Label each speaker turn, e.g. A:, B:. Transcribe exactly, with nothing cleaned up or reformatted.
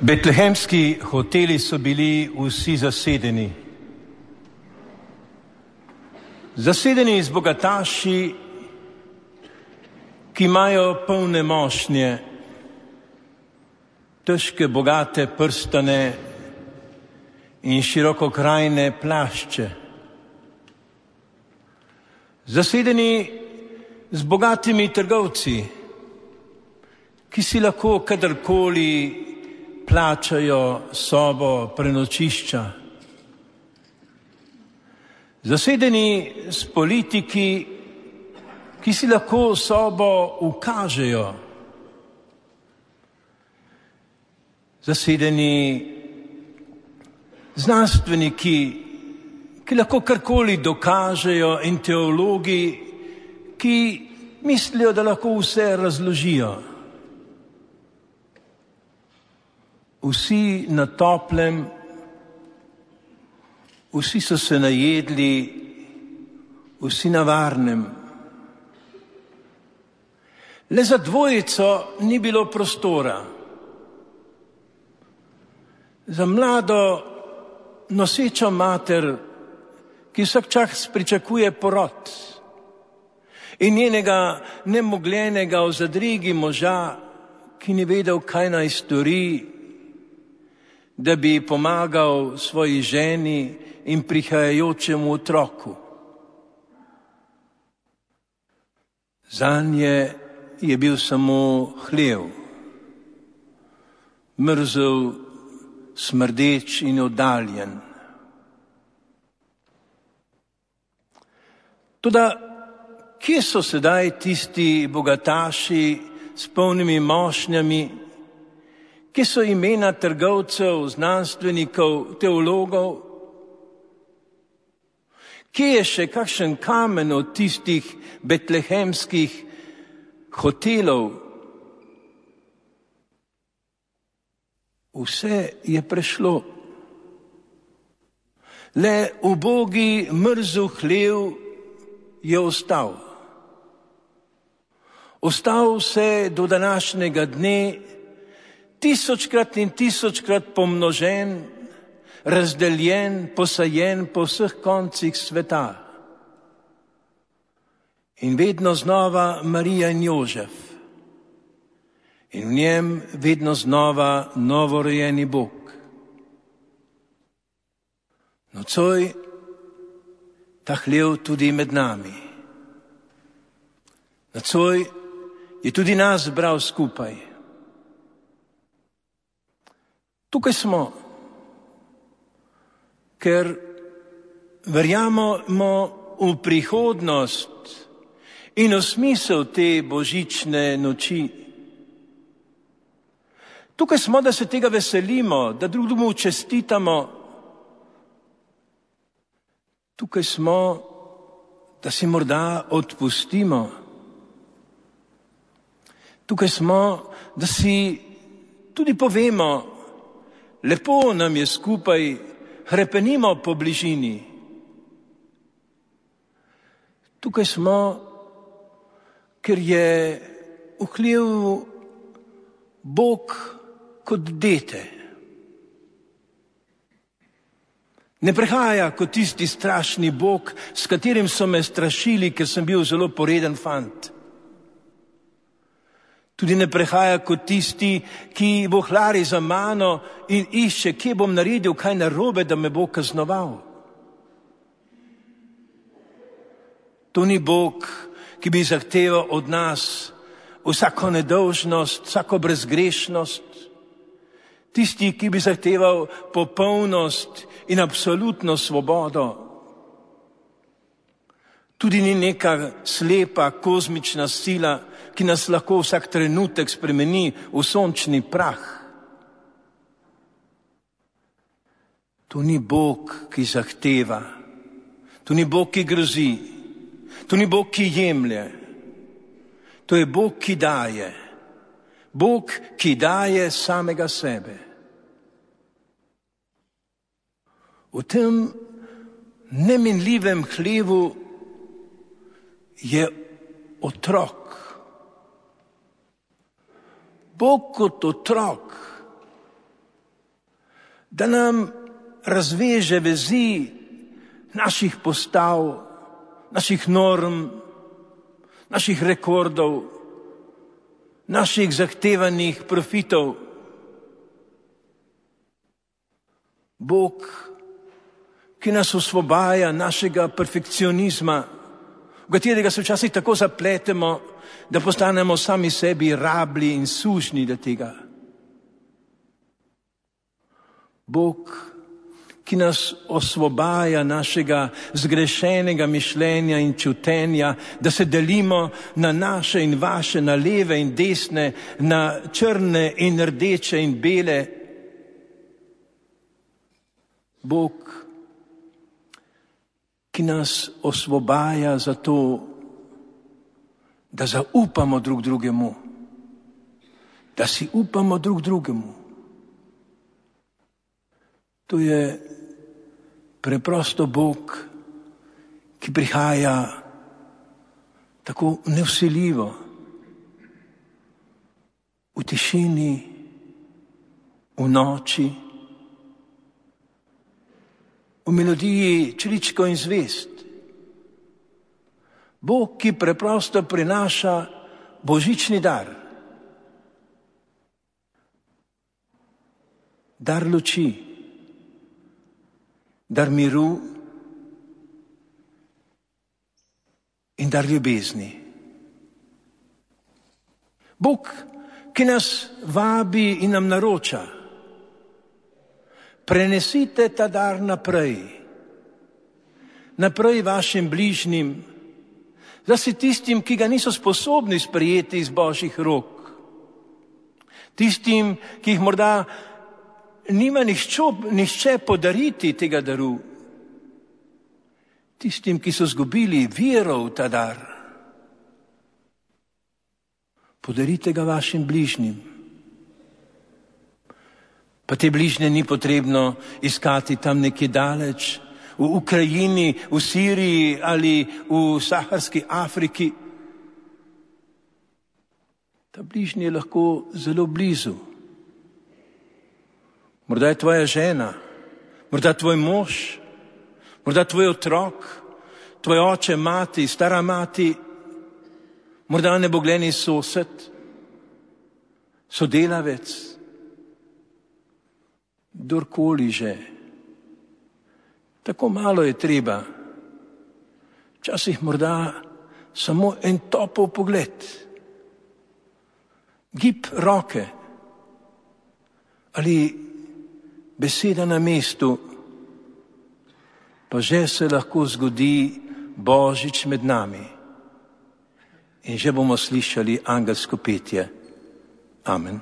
A: Betlehemski hoteli so bili vsi zasedeni. Zasedeni z bogataši, ki imajo polne mošnje, težke, bogate prstane in širokokrajne plašče. Zasedeni z bogatimi trgovci, ki si lahko kadarkoli plačajo sobo prenočišča. Zasedeni s politiki, ki si lahko sobo ukažejo. Zasedeni znanstveniki, ki lahko karkoli dokažejo, in teologi, ki mislijo, da lahko vse razložijo. Vsi na toplem, vsi so se najedli, vsi na varnem. Le za dvojico ni bilo prostora. Za mlado nosečo mater, ki vsak čas pričakuje porod, in njenega nemogljenega v zadrigi moža, ki ni vedel, kaj naj stori, da bi pomagal svoji ženi in prihajajočemu otroku. Zanje je bil samo hlev, mrzel, smrdeč in oddaljen. Toda kje so sedaj tisti bogataši s polnimi mošnjami? Kje so imena trgovcev, znanstvenikov, teologov? Kje je še kakšen kamen od tistih betlehemskih hotelov? Vse je prešlo. Le ubogi mrzel hlev je ostal. Ostal se do današnjega dne, tisočkrat in tisočkrat pomnožen, razdeljen, posajen po vseh koncih sveta. In vedno znova Marija in Jožef. In v njem vedno znova novorojeni Bog. Nocoj ta hlev tudi med nami. Nocoj je tudi nas zbral skupaj. Tukaj smo, ker verjamemo v prihodnost in v smisel te božične noči. Tukaj smo, da se tega veselimo, da drugemu čestitamo. Tukaj smo, da si morda odpustimo. Tukaj smo, da si tudi povemo, lepo nam je skupaj, hrepenimo po bližini. Tukaj smo, ker je v hlevu Bog kot dete. Ne prihaja kot tisti strašni Bog, s katerim so me strašili, ker sem bil zelo poreden fant. Tudi ne prihaja kot tisti, ki vohlari za mano in išče, kje bom naredil kaj narobe, da me bo kaznoval. To ni Bog, ki bi zahteval od nas vsako nedolžnost, vsako brezgrešnost. Tisti, ki bi zahteval popolnost in absolutno svobodo. Tudi ni neka slepa kozmična sila, ki nas lahko vsak trenutek spremeni v sončni prah. To ni Bog, ki zahteva. To ni Bog, ki grozi. To ni Bog, ki jemlje. To je Bog, ki daje. Bog, ki daje samega sebe. V tem neminljivem hlevu je otrok. Bog kot otrok, da nam razveže vezi naših postav, naših norm, naših rekordov, naših zahtevanih profitov. Bog, ki nas osvobaja našega perfekcionizma, v katerega se včasih tako zapletemo, da postanemo sami sebi rabli in sužnji do tega. Bog, ki nas osvobaja našega zgrešenega mišljenja in čutenja, da se delimo na naše in vaše, na leve in desne, na črne in rdeče in bele. Bog, ki nas osvobaja za to, da zaupamo drug drugemu, da si upamo drug drugemu. To je preprosto Bog, ki prihaja tako nevsiljivo, v tišini, v noči, v melodiji čričko in zvest. Bog, ki preprosto prinaša božični dar. Dar luči, dar miru in dar ljubezni. Bog, ki nas vabi in nam naroča, prenesite ta dar naprej, naprej vašim bližnjim, zlasti tistim, ki ga niso sposobni sprejeti iz Božjih rok, tistim, ki jih morda nima nihče, nihče podariti tega daru, tistim, ki so zgubili vero v ta dar. Podarite ga vašim bližnjim. Pa te bližnje ni potrebno iskati tam nekje daleč, v Ukrajini, v Siriji ali v saharski Afriki. Ta bližnji je lahko zelo blizu. Morda je tvoja žena, morda tvoj mož, morda tvoj otrok, tvoj oče, mati, stara mati, morda nebogljeni sosed, sodelavec, kdorkoli že. Tako malo je treba. Včasih morda samo en topel pogled, gib roke ali beseda na mestu, pa že se lahko zgodi Božič med nami in že bomo slišali angelsko petje. Amen.